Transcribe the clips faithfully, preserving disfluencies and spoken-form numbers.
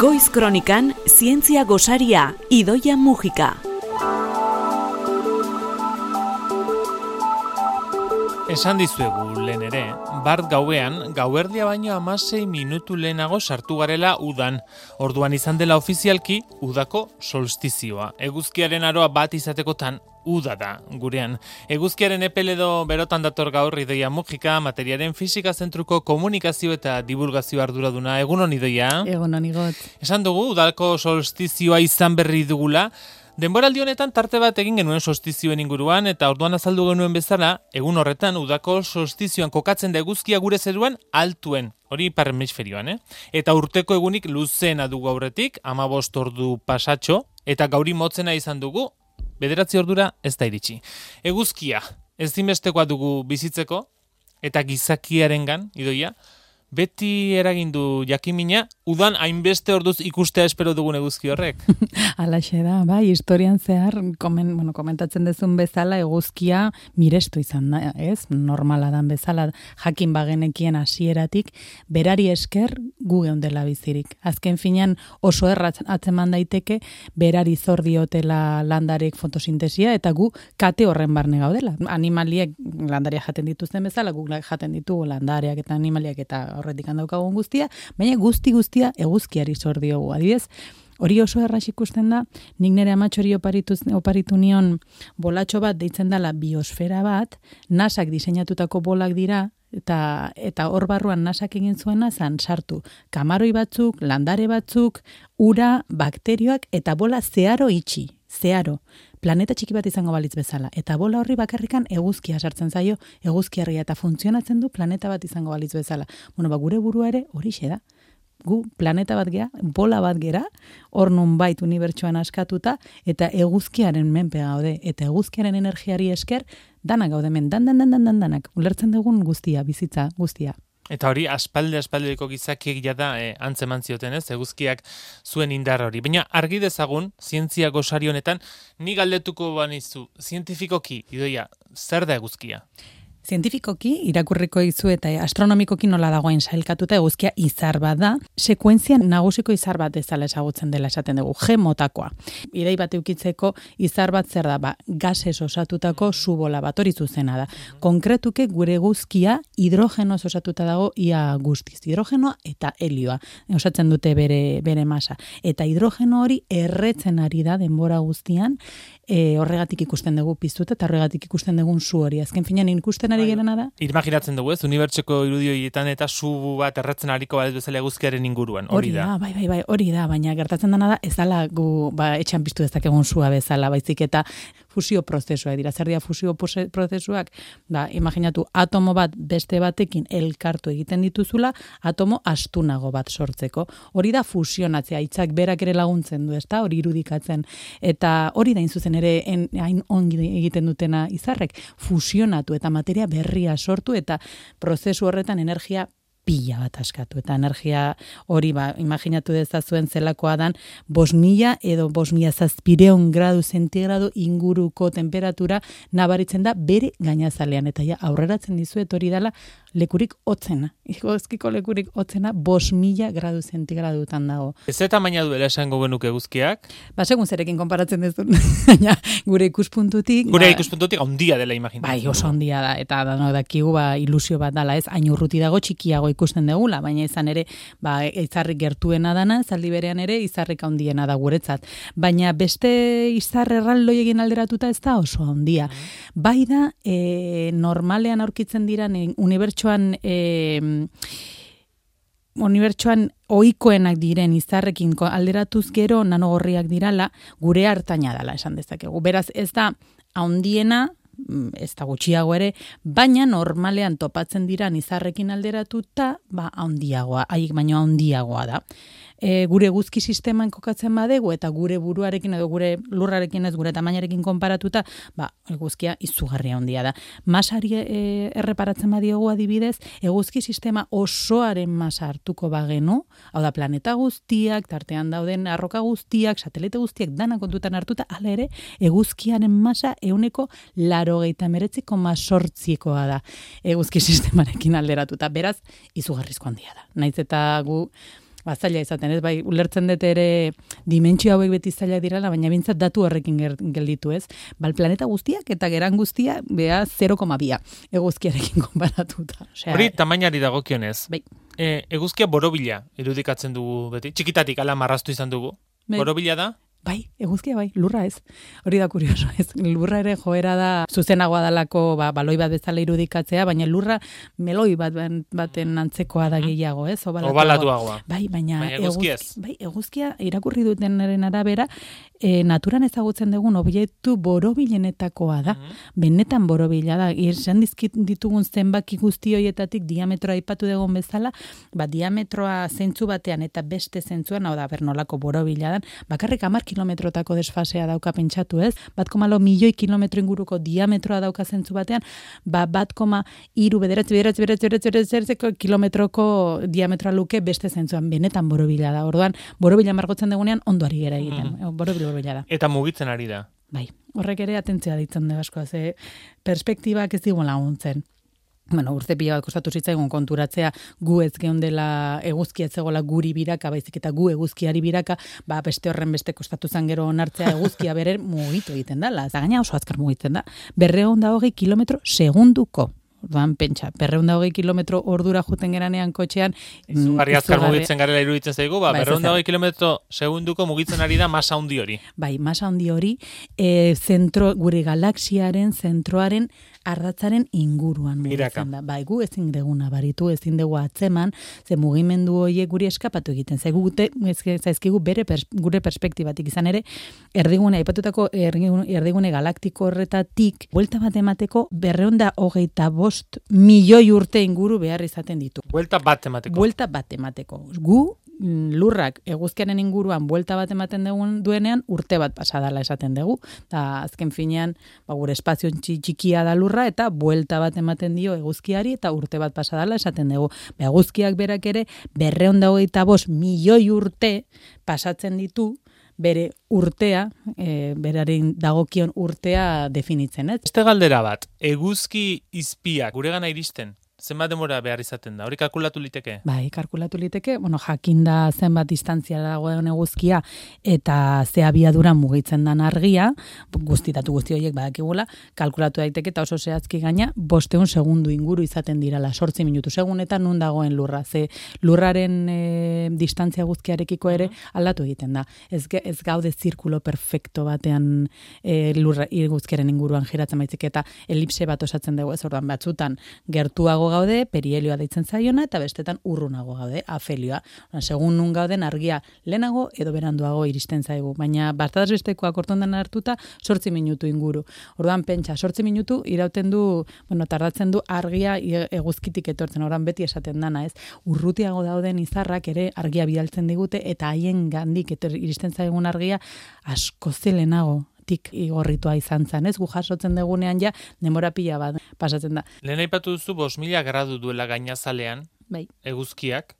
Goiz Kronikan, zientzia gosaria, Idoia Mujika. Esan dizuegu lehen ere, bart gauean, gauerdia baino hamasei minutu lehenago sartu garela udan. Orduan izan dela ofizialki, udako solstizioa. Eguzkiaren aroa bat izatekotan, uda da, gurean. Eguzkiaren epel edo berotan dator gaur Idoia Mujika, materiaren fisika zentruko komunikazio eta divulgazio arduraduna. Egunon Idoia? Egunon igot. Esan dugu, udako solstizioa izan berri dugula. Denboraldi honetan tarte bat egin genuen solstizioen inguruan eta orduan azaldu genuen bezala, egun horretan udako solstizioan kokatzen da eguzkia gure zeruan altuen, hori ipar hemisferioan, eh? Eta urteko egunik luzeena dugu aurretik, hamabost ordu pasatxo, eta gauri motzena izan dugu, bederatzi ordura ez da iritsi. Eguzkia, ezinbestekoa dugu bizitzeko, eta gizakiarengan, Idoia, beti eragindu jakimina, udan hainbeste orduz ikustea espero dugun eguzki horrek. Alaxe da, bai, historian zehar, komen, bueno, komentatzen dezun bezala, eguzkia mirestu izan da, ez? Normala dan bezala, jakin bagenekien hasieratik, berari esker gu geundela bizirik. Azken finean oso erraz atzeman daiteke, berari zor diotela landarek fotosintesia, eta gu kate horren barne gaudela. Animaliek landaria jaten dituzten bezala, gu jaten ditugu landareak eta animaliak eta horretik handaukagun guztia, baina guzti guztia eguzkiari zor diogu. Adibidez, hori oso erraz ikusten da, nik nire amatxori oparitu, oparitu nion bolatxo bat deitzen dela biosfera bat, nasak diseinatutako bolak dira, eta eta hor barruan nasak egin zuena zan sartu kamaroi batzuk, landare batzuk, ura, bakterioak eta bola zeharo itxi, zeharo. Planeta txiki bat izango balitz bezala. Eta bola horri bakarrikan eguzkia sartzen zaio, eguzkiarria eta funtzionatzen du planeta bat izango balitz bezala. Bueno, ba, gure burua ere horixe da. Gu planeta bat gea, bola bat gera, hor nunbait unibertsuan askatuta, eta eguzkiaren menpe gaude, eta eguzkiaren energiari esker, danak gaude men, dan, dan, dan, dan, dan, danak. Ulertzen dugun guztia, bizitza guztia. Eta hori, aspalde aspaldeko gizakiek jada eh, antzeman zioten, ez? Eguzkiak zuen indar hori. Baina argi dezagun, zientzia gosari honetan, ni galdetuko banizu, zientifikoki, Idoia, zer da eguzkia? Zientifikoki, irakurriko izu eta astronomikoki nola dagoen sailkatuta eguzkia izar bat da, sekuentzian nagusiko izar bat ezala ezagutzen dela esaten dugu, G motakoa. Idei bat eukitzeko izar bat zer da, ba, gases osatutako subola bat, hori zuzena da. Konkretuke gure eguzkia hidrogenoz osatuta dago ia guztiz. Hidrogenoa eta helioa osatzen dute bere, bere masa. Eta hidrogeno hori erretzen ari da denbora guztian, e, horregatik ikusten dugu piztuta eta horregatik ikusten dugun su hori. Azken finean ikusten ari gerana da. Imaginatzen dugu, ez? Unibertsoko irudioietan eta su bat erretzen ariko bat bezala eguzkiaren inguruan, hori da. Bai, bai, bai, hori da, baina gertatzen dena da ez dela gu ba, etxan piztu dezakegun sua bezala, baizik eta fusio prozesua dira. Zer dira fusio prozesuak? Ba, imaginatu atomo bat beste batekin elkartu egiten dituzula, atomo astunago bat sortzeko. Hori da fusionatzea, hitzak berak ere laguntzen du, ezta? Hori irudikatzen. Eta hori da zuzen ere en, hain ongi egiten dutena izarrek, fusionatu eta materia berria sortu eta prozesu horretan energia pila bat askatu. Eta energia hori, ba, imaginatu dezazuen zelakoa dan, bost mila edo bost mila zazpireun gradu zentigrado inguruko temperatura nabaritzen da bere gainazalean. Eta ja, aurreratzen dizuet hori dela lekurik hotzena. Eguzkiko lekurik hotzena bost mila gradu zentigradutan dago. Ez eta maina duela esango genuke eguzkiak? Ba, segun zerekin konparatzen dezun. Baina, gure ikuspuntutik... Gure ba, ikuspuntutik handia dela imaginatzen. Bai, oso handia da. Eta da, dakigu, ba, ilusio bat dala, ez? Hain urruti dago txikiago ikusten degula, baina izan ere, ba, izarrik gertuena dana, zaldi berean ere, izarrik handiena da guretzat. Baina beste izar erraldoi egin alderatuta ez da oso handia. Bai da, e, normalean aurkitzen diran unibertsuan e, unibertsuan ohikoenak diren izarrekin alderatuz gero nanogorriak dirala, gure hartaina dela esan dezakegu. Beraz, ez da handiena, ez da gutxiago ere, baina normalean topatzen diran izarrekin alderatuta, ba, handiagoa, haiek baino handiagoa da. E, gure eguzki sisteman kokatzen badegu eta gure buruarekin edo gure lurrarekin ez gure tamainarekin konparatuta, ba, eguzkia izugarria handia da. Masari e, erreparatzen badiogu adibidez, eguzki sistema osoaren masa hartuko bagenu, hau da planeta guztiak, tartean dauden arroka guztiak, satelite guztiak dana kontutan hartuta, hala ere, eguzkiaren masa ehuneko laurogeita hemeretzi koma zortzikoa da eguzki sistemarekin alderatuta. Beraz, izugarrizko handia da. Naiz eta gu ba, zaila izaten, ez? Bai, ulertzen dut ere dimentsio hauek beti zaila direla, baina bintzat datu horrekin gelditu, ez? Bal, planeta guztiak eta geran guztia, bea zero koma bi eguzkiarekin konparatuta. Osea, hori tamainari dagokionez. Bai. E, eguzkia borobila irudikatzen dugu beti. Txikitatik ala marraztu izan dugu. Bai. Borobila da? Bai, eguzkia bai, lurra ez. Hori da kurioso, ez. Lurra ere joera da zuzenagoa dalako ba, baloi bat bezala irudikatzea, baina lurra meloi bat baten antzekoa da gehiago, ez? Obalatuagoa. Bai, baina, baina eguzkia ez. Bai, eguzkia irakurri dutenaren arabera, e, naturan ezagutzen dugun objektu borobilenetakoa da. Benetan borobila da. Esan dizkit ditugun zenbaki guzti horietatik diametroa aipatu dugun bezala, ba, diametroa zentzu batean eta beste zentzuan, hau da, bernolako borobila dan, bakarrik hamar kilometrotako desfasea dauka pentsatu, ez? Bat koma lau milioi kilometro inguruko diametroa dauka zentzu batean, ba, bat koma hiru bederatzi, bederatzi, bederatzi, bederatzi, bederatzi, kilometroko diametroa luke beste zentzuan, benetan borobila da. Orduan, borobila margotzen dugunean ondo ari gera egiten. Mm. Borobila, borobila da. Eta mugitzen ari da. Bai, horrek ere atentzia ditzen da asko, ze perspektibak ez digun laguntzen. Bueno, urte pila bat kostatu zitzaigun konturatzea gu ez geundela eguzkia ez zegoela guri biraka, baizik eta gu eguzkiari biraka, ba beste horren beste kostatu zan gero onartzea eguzkia bere mugitu egiten dela. Eta gaina oso azkar mugitzen da. berrehun eta hogei kilometro segunduko. Orduan, pentsa, berrehun eta hogei kilometro ordura juten geranean kotxean. Izugarri azkar mugitzen garela iruditzen zaigu, ba, berrehun eta hogei kilometro segunduko mugitzen ari da masa handi hori. Bai, masa handi hori, e, zentro, gure galaxiaren, zentroaren, ardatzaren inguruan mugitzen da. Bai, gu ezin deguna baritu, ezin dugu atzeman, ze mugimendu horiek guri eskapatu egiten. Zaigu gute, zaizkigu bere pers, gure perspektibatik izan ere, erdigune, aipatutako erdigune, erdigune galaktiko horretatik, buelta bat emateko berrehun eta hogeita bost milioi urte inguru behar izaten ditu. Buelta bat emateko. Buelta bat emateko. Gu, lurrak eguzkiaren inguruan buelta bat ematen dugun duenean urte bat pasadala esaten dugu. Da azken finean, ba, gure espazio txikia da lurra eta buelta bat ematen dio eguzkiari eta urte bat pasadala esaten dugu. Ba, eguzkiak berak ere berrehun eta hogeita bost milioi urte pasatzen ditu bere urtea, e, beraren dagokion urtea definitzen, ez? Beste galdera bat, eguzki izpiak guregana iristen, zenbat denbora behar izaten da? Hori kalkulatu liteke? Bai, kalkulatu liteke, bueno, jakinda zenbat distantzia dagoen eguzkia eta ze abiadura mugitzen dan argia, guztitatu guzti horiek badakigula, kalkulatu daiteke eta oso zehazki gaina, bosteun segundu inguru izaten dirala, sortzi minutu segunetan nun dagoen lurra, ze lurraren e, distantzia guzkiarekiko ere aldatu egiten da. Ez, ez gaude zirkulo perfecto batean e, lurra eguzkiaren inguruan giratzen baizik eta elipse bat osatzen dugu, ez orduan batzutan gertuago gaude, perihelioa deitzen zaiona, eta bestetan urrunago gaude, afelioa. Segun nun gauden argia lehenago edo beranduago iristen zaigu, baina bataz bestekoak ortondan hartuta sortzi minutu inguru. Orduan pentsa, sortzi minutu irauten du, bueno, tardatzen du argia eguzkitik etortzen, orduan beti esaten dana, ez? Urrutiago dauden izarrak ere argia bidaltzen digute, eta haien gandik etor, iristen zaigun argia asko zelenago tik igorritua izan zen, ez? Gu jasotzen dugunean ja, denbora pila bat pasatzen da. Lehen aipatu duzu bost mila gradu duela gainazalean, bai, eguzkiak,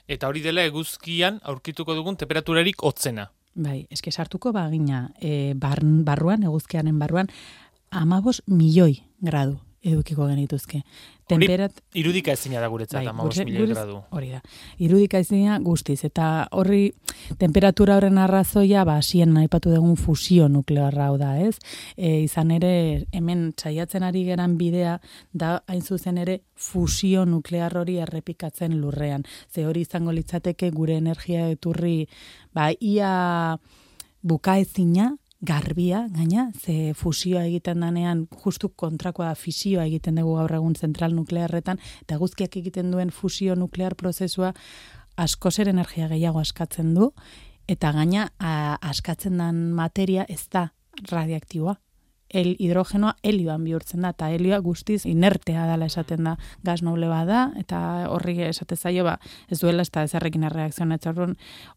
eta hori dela eguzkian aurkituko dugun temperaturarik hotzena. Bai, eske sartuko bagina, e, bar, barruan, eguzkianen barruan, amabos milioi gradu edukiko genituzke. Temperat... Hori irudika ezina da guretzat, bai, amabos milioi gradu. Hori da. Irudika ezina guztiz, eta horri temperatura horren arrazoia, ba, hasien aipatu dugun fusio nuklearra hau da, ez? E, izan ere, hemen saiatzen ari geran bidea, da hain zuzen ere fusio nuklear hori errepikatzen lurrean. Ze hori izango litzateke gure energia eturri, ba, ia bukaezina, garbia, gaina, ze fusioa egiten danean, justu kontrakoa da fisioa egiten dugu gaur egun zentral nuklearretan, eta guzkiak egiten duen fusio nuklear prozesua asko zer energia gehiago askatzen du, eta gaina a, askatzen den materia ez da radioaktiboa. El hidrogenoa helioan bihurtzen da, eta helioa guztiz inertea dela esaten da, gas noble bada, eta horri esate zaio, ba, ez duela ez da ezarrekin erreakzionatzen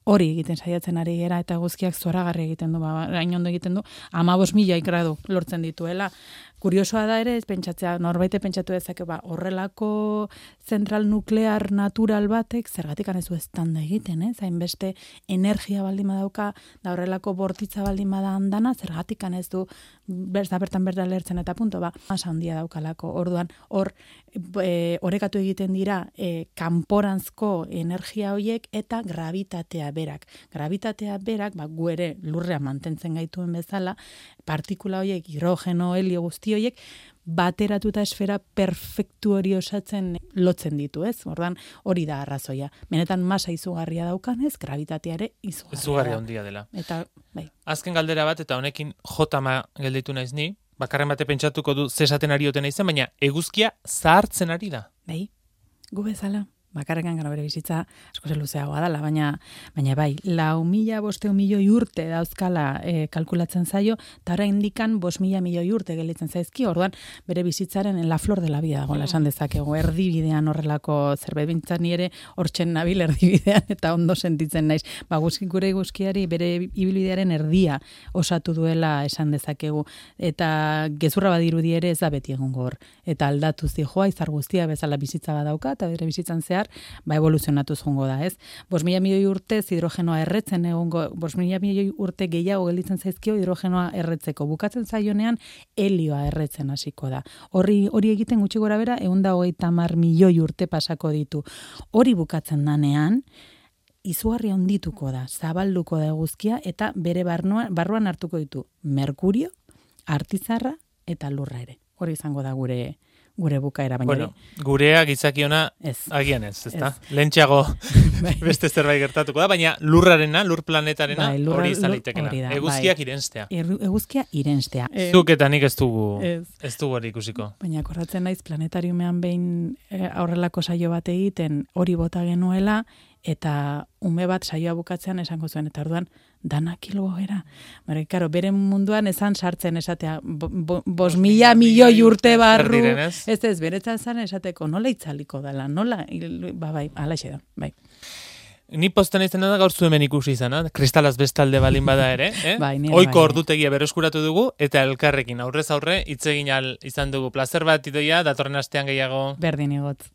hori egiten saiatzen ari gera, eta guzkiak zoragarri egiten du, ba, hain ondo egiten du, amabos milioi gradu lortzen dituela, kuriosoa da ere, ez pentsatzea, norbaite pentsatu dezake, ba, horrelako zentral nuklear natural batek, zergatik anezu ez tanda egiten, ez? Hainbeste energia baldin badauka, da horrelako bortitza baldin bada andana, zergatik ez du berda bertan berda lertzen eta punto, ba, masa handia daukalako. Orduan, hor, e, orekatu egiten dira, e, kanporanzko energia hoiek eta gravitatea berak. Gravitatea berak, ba, gu ere lurrean mantentzen gaituen bezala, partikula hoiek, hidrogeno, helio guzti hoiek, bateratuta esfera perfektu hori osatzen lotzen ditu, ez? Ordan hori da arrazoia. Benetan masa izugarria daukanez, gravitatea ere izugarria. Izugarria handia dela. Eta, bai. Azken galdera bat, eta honekin jotama gelditu naiz ni, bakarren bate pentsatuko du zesaten ari oten naizen, baina eguzkia zahartzen ari da. Bai, gu bezala. Bakarrekan gara bere bizitza asko luzeagoa dela, baina baina bai, lau mila bosteun milioi urte dauzkala e, kalkulatzen zaio, eta orain indikan bost mila milioi urte gelditzen zaizki, orduan bere bizitzaren en la flor de la vida dagoela esan dezakegu, erdibidean horrelako zerbait bintzat ni ere hortzen nabil erdibidean eta ondo sentitzen naiz. Ba, guzki gure guzkiari bere ibilbidearen erdia osatu duela esan dezakegu, eta gezurra badirudi ere ez da beti egongo hor, eta aldatu zijoa izar guztia bezala bizitza badauka, eta bere bizitzan zehar ba evoluzionatuz jongo da, ez? Bost mila milioi urte hidrogenoa erretzen egongo, bost mila milioi urte gehiago gelditzen zaizkio hidrogenoa erretzeko. Bukatzen zaionean helioa erretzen hasiko da. Horri hori egiten gutxi gora bera ehun eta hogeita hamar milioi urte pasako ditu. Hori bukatzen danean izugarri handituko da, zabalduko da eguzkia eta bere barruan, barruan hartuko ditu Merkurio, Artizarra eta Lurra ere. Hori izango da gure gure bukaera, baina bueno, gurea gizakiona agian ez, ezta? Lentxeago beste zerbait gertatuko da, baina lurrarena, lur planetarena bai, lurra, hori izan leitekena. Eguzkiak bai. irenstea. Eguzkia irenstea. Zuk eta nik ez dugu, ez, ez dugu hori ikusiko. Baina akordatzen naiz planetariumean behin aurrelako saio bat egiten hori bota genuela, eta ume bat saioa bukatzean esango zuen, eta orduan, danak hilgo gera. Bara, karo, bere munduan esan sartzen esatea, bo, bo, bos mila milioi urte barru, ez ez, beretzan zan esateko, nola itzaliko dela, nola, ba, bai, alaxe da, bai. Ni posten izan da gaur zu hemen ikusi izan, kristalaz bestalde balin bada ere, eh? Bai, oiko bai, ordutegia berreskuratu dugu, eta elkarrekin aurrez aurre hitz egin al izan dugu. Plazer bat, Idoia, datorren astean gehiago. Berdin igotz.